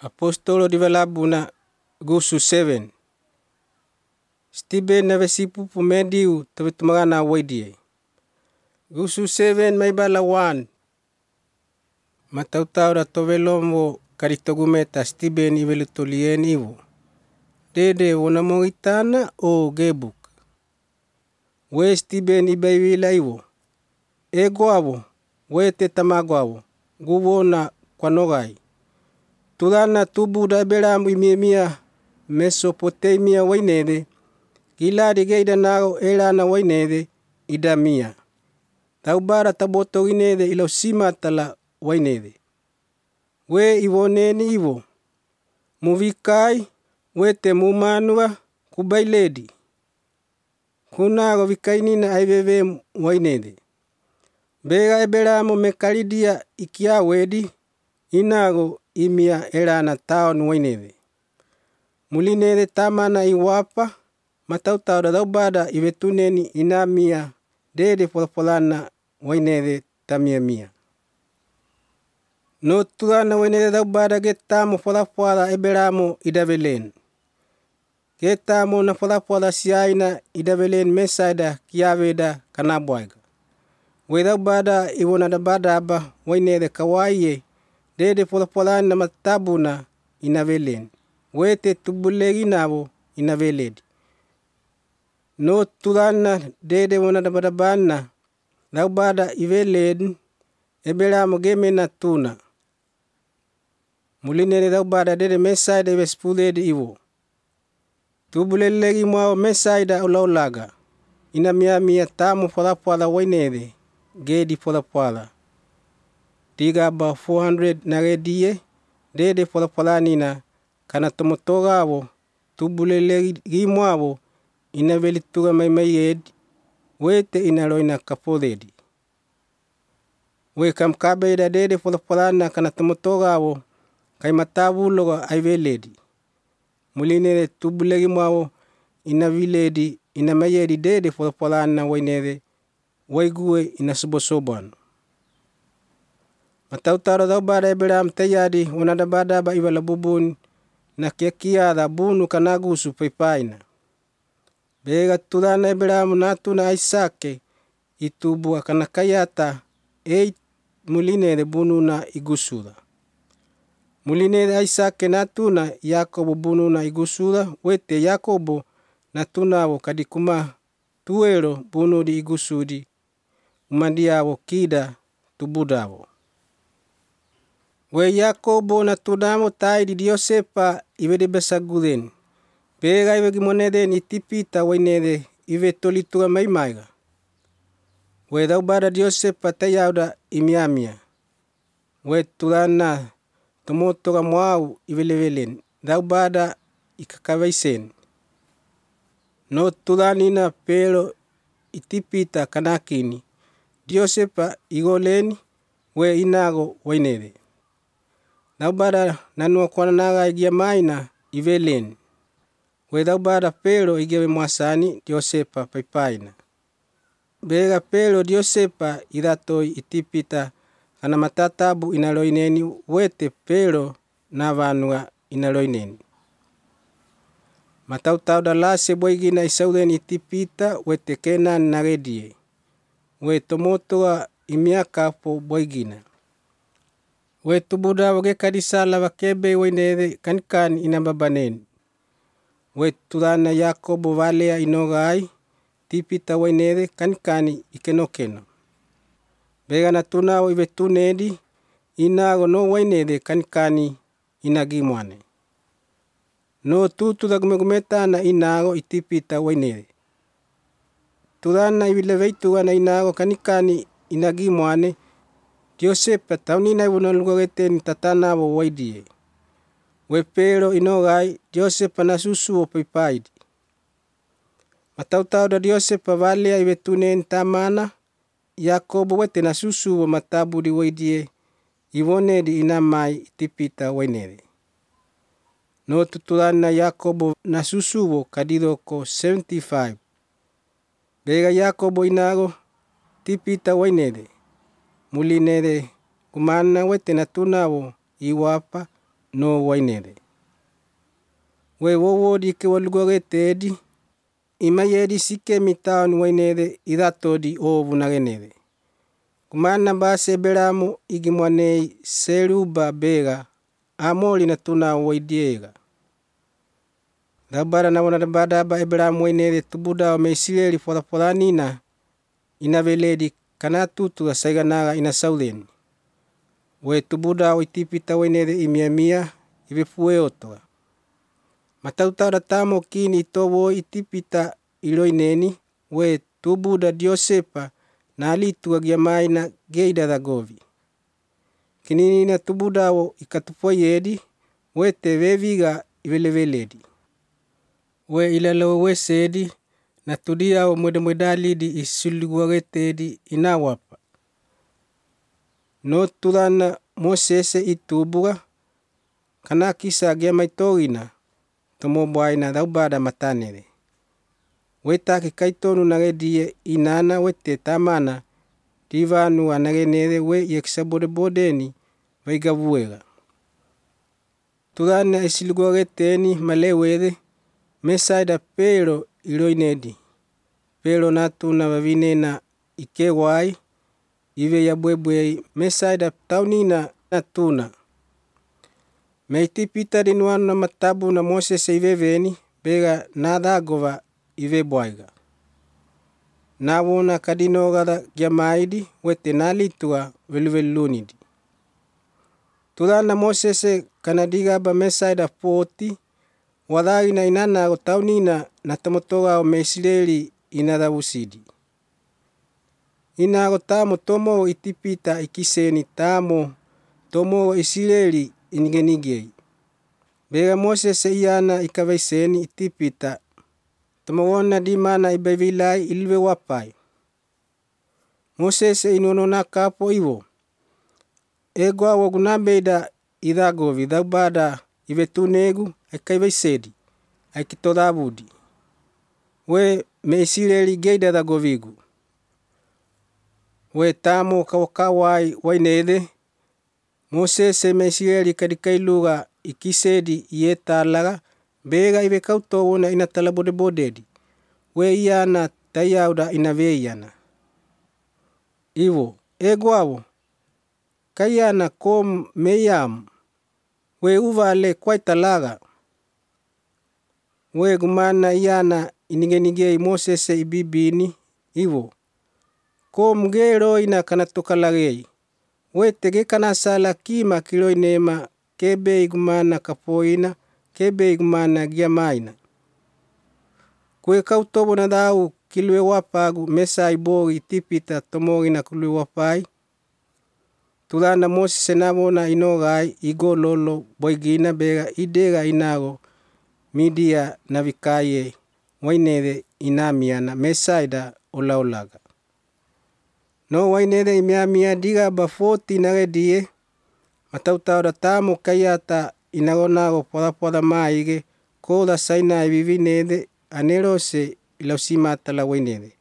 Apostolo di Valabuna gusu 7. Stiben na vesipu pumediu tabetumagana waidie. Gusu 7 may bala 1. Matautaw da tovelomo karitogumeta Stiben ivelutolien iwo. Dede wonamongitana o gebuk. We Stiben ibaiwila iwo. Ego awo, we tetamago awo, guwona kwanogai. Tulana tubu da belamu imiemia Mesopotamia wainede. Giladi geida nago elana wainede idamia. Taubara taboto inede ilo simatala wainede. We iwoneni iwo. Muvikai we temumanua kubailedi. Kunago vikainina aiveve wainede. Bega ebelamu mekalidia ikia wedi. Inago imia elana taon wainede. Mulinede tamana iwapa. Matautaw da daubada ivetuneni inamia. Dede polapolana wainede tamia. No tulana wainede daubada getamu polapala ebelamu idavelen. Getamu na polapala siaina idavelen mesaida kiaveda kanabuaiga. We daubada iwona badaba wainede kawaiye. Dede polapolana matabuna inavelen. Wete tubulegi nabo inaveledi. No tulana dede wona badabana. Daubada iveledi. Ebelamu gemena tuna. Mulinede daubada dede mesaida ivespuledi iwo. Tubulelegi mwao mesaida ulaulaga. Inamia tamu polapala wainede. Gedi polapala. Digaba 400 naredie. Dede polapolanina kana tomotoga awo. Tubulelegi mwao inavelituga maiyedi. Wete inaloina kapoledi. We kamkabeda dede polapolana kana tomotoga awo. Kai matabuloga aiveledi. Mulinede tubulegi mwao inaviledi. Inamayedi dede polapolana wainede. Waigue inasubosobano. Matautaro daubada ebelam teyadi wanadabadaba iwala bubun na kiakiada bunu kanagusu paipaina. Bega tulana ebelamu natuna aisake itubua kanakayata mulinede bunu na igusula. Mulinede aisake natuna Yakobo bunu na igusula. Wete Yakobo natunawo kadikuma tuelo bunu di igusudi. Umandiawo kida tubudawo. We Yakobo natunamo tai di Diosepa iwede besagulen. Bega iwe gimonede itipita wainede iwe tolitua maimaiga. We daubada Diosepa tayauda imiamia. We tulana tomotoga mwau ivelevelen. Daubada ikakawaisen. No tulanina pero itipita kanakini. Diosepa igoleni we inago wainede. Daubada nanua kwa naga igia maina ivelen. We daubada pero igia mwasani Diosepa paipaina. Bega pero Diosepa idatoi itipita kana matatabu inaloineni wete pero navanua inaloineni. Matautau da lase boigina isauden itipita wete Kenan naredie. We tomotoa imiakapo boigina. We tubuda wage kadisala wakebe wainede kankan inababanen. We tulana Yakobo valea inogai tipita wainede kankani ikenokeno. Bega natunao ivetunedi inago no wainede kankani inagimwane. No tutu dagumegumeta na inago itipita wainede. Tulana ivileveitua na inago kanikani inagimwane. Diosepa taunina iwunalugageten tatanawo waidie. We pero inogai Diosepa nasusuo paipaidi. Matautau da Diosepa valea ivetunen tamana. Yakobo wete nasusuo matabudi waidie. Iwonedi inamai itipita wainede. No tutulana Yakobo nasusuo kadidoko 75. Bega Yakobo inago tipita wainede. Mulinede kumana wete natunawo iwapa no wainere. We wowodi ike walugorete edi, imai edi sike mitaoni wainere iratodi ovu nagenere. Kumana base Ebelamu igimwanei Seruba bega amoli na tuna waidiega. Dabara na wana badaba Ebelamu wainere tubuda me Israeli foraforanina inaveledi kanatutu saiganaga ina sauleni. We tubuda oitipita wainere imiamia ibefue otoa. Matautara tamo kini itowo itipita iloineni we tubuda Diosepa na alitua giamaina geida dagovi. Kinini tubuda wo ikatupoyedi we teveviga iveleveledi. We ilalo we sedi na tudia wo mwedalidi isuliguagetedi inawapa. No turana Mosese itubuga kana kisa giamaitogina tomo bwaina daubada matanere. Wetaki kaitonu nagedie inana wete tamana divanu anagenere we yeksabode bodeni vaigavuega. Turana isiliguageteni malewede mesaida pero iloinedi. Pero natuna vavinena ikewai ive ya bwebwe mesaida taunina natuna. Meitipita dinuanu na matabu na Mosese iveveni bega nadagova ive bwaiga. Nawona kadinogada giamaidi wete nalitua veluvelunidi. Turana Mosese kanadigaba mesaida 40 wadagina inana o taunina na tomotoga o Meisraeli inadavusidi. Inago tamo tomo itipita ikiseni tamo tomo Israeli inigenigei. Bega Mosese iana ikavaiseni itipita tomowona dimana ibavilai ilve wapai. Mosese inonona kapo iwo. Egwa wogunabeda idagovi daubada ivetunegu aikaivaisedi aikitodavudi. We Meisraeli geida dagovigu. We tamo kawakawai wainede Mosese Meisraeli kadikailuga ikisedi ietalaga bega ive kautowona inatalabodebodedi. We iana tayauda inaveiana. Iwo egwawo kayana kom meyam we uvale kwaitalaga. We gumana iana inigenigei Mosese ibibini iwo kom gero ina kanatokalagei. We tege kanasala kima kiloinema kebe igumana kapoina kebe igumana giamaina. Kwe kautobo na dau kilwe wapagu mesa ibogi tipita tomogina kulwe wapai. Turana Mosese nabona inogai igololo boigina bega idega inago midia navikaye wainere inamiana mesaida olaolaga. No wainere imiamia digaba 40 nagedie matautauda tamo kayata inagonago poda maige koda saina ibivinede anerose ilausimatala wainere.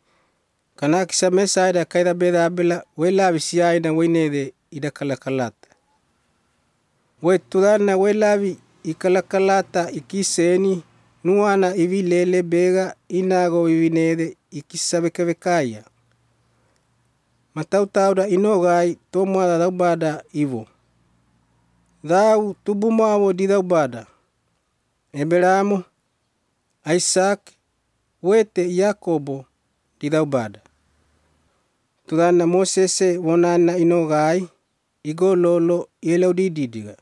Kana kisa mesaida kaida beda abela welavi siaina wainere idakalakalata. We turana welavi ikalakalata ikiseni nuana ivilele bega inago ibivinede ikisabekavekaya. Matautauda inogai tomoada daubada iwo. Dau tubumawo di daubada. Ebelamu, Isaac, wete Yakobo di daubada. Turana Mosese wonana inogai igololo ielaudididiga.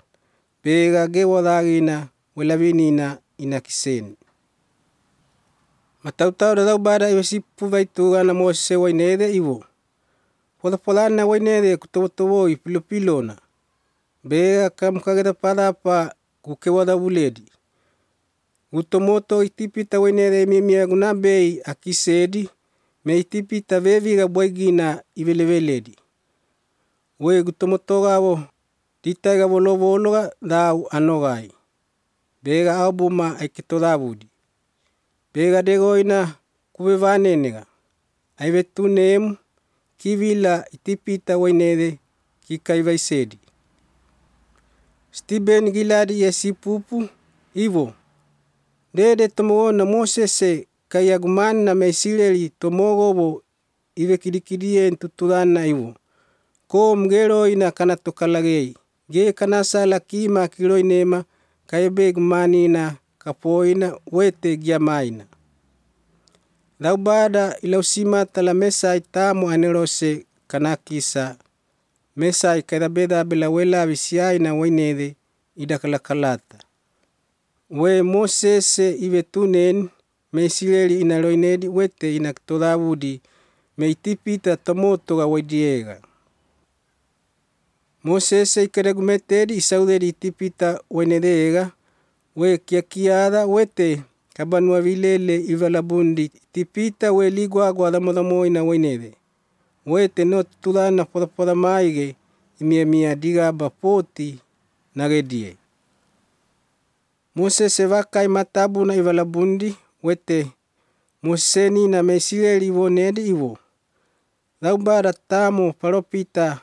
Bega gewadagina welavinina inakiseni. Matautauda daubada iwasipu vaitugana Mosese wainede iwo. Polana wainere kutowotowo ipilopilona. Bega kamukageda padapa kukewada vuledi. Utomoto itipita wainere mimia gunabei akisedi me itipita veviga boigina iveleveledi. We gutomotogawo ditaiga volovologa dau anogai. Bega albuma aikitodavudi. Bega degoina kuvevanenega. Aivetunemu kivila itipita wainere kikaivaisedi. Stiben giladi yesipupu ivo. Dede tomogona Mosese kayagumana me Isileli tomogobo ive kidikidien tutulana ivo. Ko mgelo ina kanatokalagei. Ge kanasala kima kiloinema kayebe gumanina kapoina wete giamaina. Laubada ilausima tala mesai tamu anerose kanakisa. Mesai kaidabeda bela wela visiaina wainede idakalakalata. We Mosese ive tunen me Isileli inaloinedi wete inaktodavudi me itipita tomotoga waidiega. Mosese ikaregumetedi isaudedi itipita wainedega we kiakiada wete kabanua vilele ivalabundi itipita we ligwagwa damodamoina wainede. Wete no tulana poda maige imia digaba poti nagedie. Mosese vakai matabuna ivalabundi wete Moseni na me Isileli ivonedi ivo. Laubada tamo paropita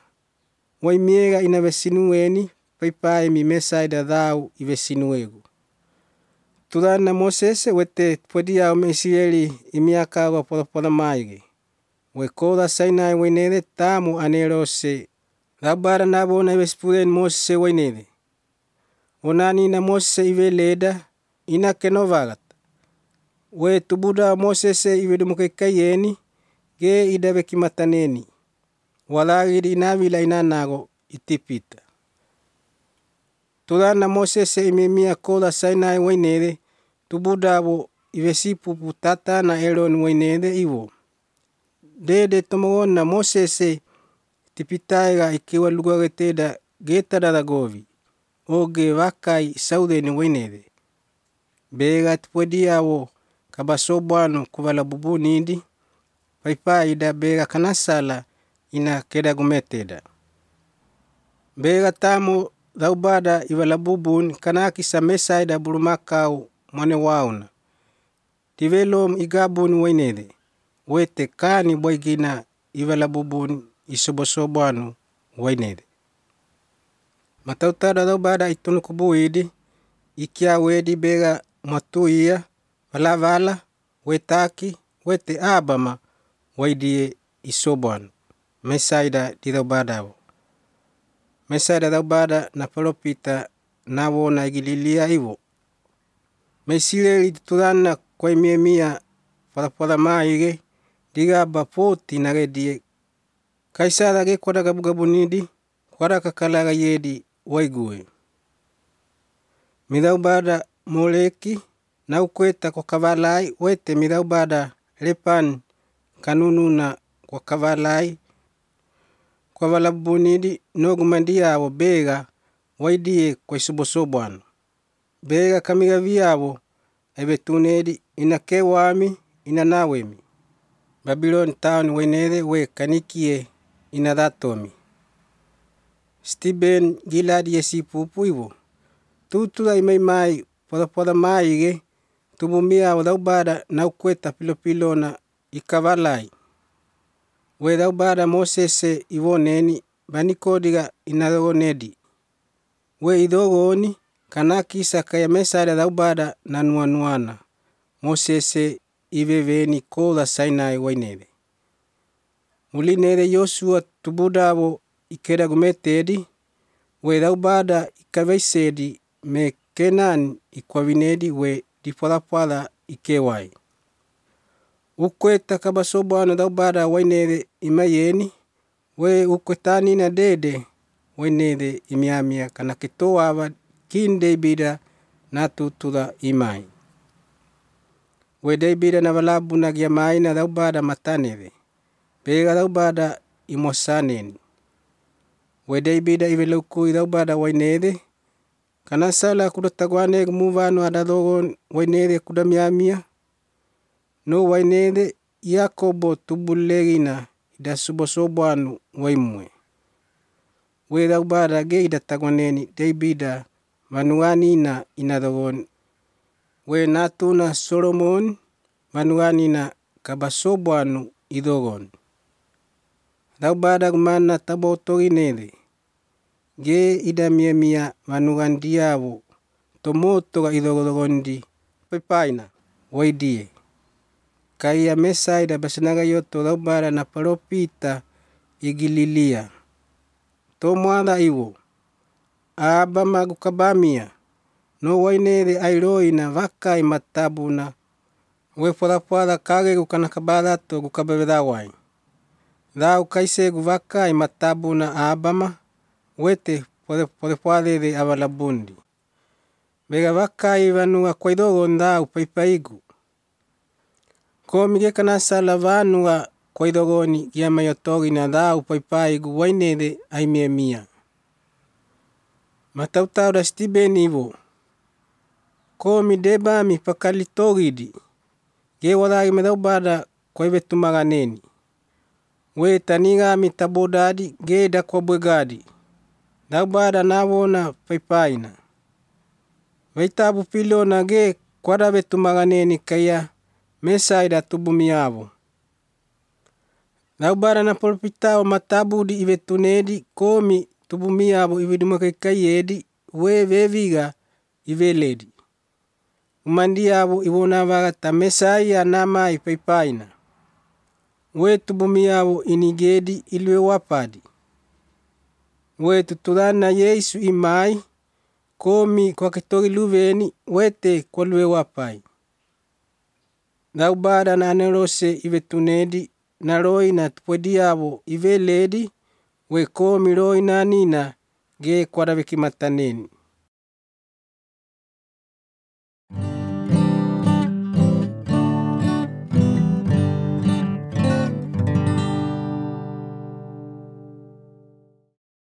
waimiega inavesinueni paipai mi mesaida dhau ivesinuegu. Tulana Mosese wete podiao me Isileli imiakawa poda maige. We koda Sinai wainede tamo anerose. Laubada nabona ivespulen Mosese wainede. Onani na Mosese ive leda ina kenovagat. We tubuda Mosese ive dumukekayeni ge idave kimataneni. Walagidi inavila inanago itipita. Tulana Mosese imemia koda Sinai wainede tubudabo ivesipupu tata na Elon wainede ivo. Dede tomogona Mosese tipitaiga ikiwa lugageteda getadadagovi. Oge vakai saudeni wainede. Bega tipodiawo kabasobwano kuvala bubunidi. Paipai ida bega kanasala ina kedagumeteda. Bega tamo laubada ivala bubun kanakisa mesaida bulumakau manewauna. Tivelom igabun wainede. Wete kani boigina ivala bubun isobosobwano wainede. Matautada laubada itunukubuidi ikia wedi bega matuia vala wetaki wete abama waidie isobwano. Mesaida di laubadao. Mesaida laubada na paropita nawona igililia ivo. Me Isileli tulana kwa imiemia poda maige digaba poti nagedie. Kaisada ge kwada gabugabunidi kwada kakalaga yedi waigue. Midaubada Moleki na ukweta kwa kavalai wete midaubada Lepan kanununa kwa kavalai kwa valabunidi nogumandiawo bega waidie kwa isobosobwano. Bega kamigaviawo ebetunedi inakewami inanawemi. Babylon town wainede we kanikie inadatomi. Stiben giladi yesipupu ivo. Tutula imaimai poda maige tubumia wadaubada na ukweta pilopilona ikavalai. We daubada Mosese ivoneni banikodiga inadogonedi. We idogoni kanakisa kaya mesada daubada nanuanuana. Mosese iveveni koda Sinai wainede. Mulinede Yosua tubudabo ikedagumetedi. We daubada ikaveisedi me Kenan ikwavinedi we dipoda ikewai. Ukweta kabasobwano daubada wainede imayeni. We ukwetani na dede wainede imiamia kanakitoawa kinde bida natutula imai. We debida na valabu na giamai na daubada matanede. Bega daubada imosaneni. We debida ivelukui daubada wainede. Kanasala kudataguane gumuvano adadogon wainede kudamiamia. No wainede Yakobo tubulegina idasubosobwanu waimwe. We daubada ge idataguaneni debida manuanina inadogon. We natuna Solomon manuanina kabasobwanu idogon. Daubada gumana tabotoginede. ge idamiemia vanugandiavo tomotoga idhogodhogondi paipaina waidie. Kaia mesaida basanagayoto laubara na paropita igililia. Tomwada iwo. Abama gukabamia. No wainede airoina vakai matabuna. Weporapoara kage gukanakabarato gukabavedawai. Dau kaisegu vakai matabuna abama. Wete porepoarede avalabundi. Vega vakai vanua kwaidogon dau paipaigu. Komi gekanasala vanua kwaidogoni giamayotogina dau paipaigu wainede aimiemia. Matautau da Stibeni iwo. Komi debami pakalitogidi. Ge waragi medaubada kwaivetumaganeni. We tanigami tabodadi ge dakwabwegadi. Daubada navona paipaina. Veitabu pilona ge kwadavetumaganeni kaya mesaida tubumiavo. Daubada na polpitao matabudi ivetunedi komi tubumiavo ividumakaikaiedi we veviga iveledi. Umandiavo iwonavagata mesaia namai paipaina. We tubumiavo inigedi ilwe wapadi. We tuturana Yesu imai komi kwa kitori luveni wete kwa lwe wapai. Daubada na anerose ivetunedi na roi na tupodiavo iveledi we komi roi na nina ge kwa ravikimataneni.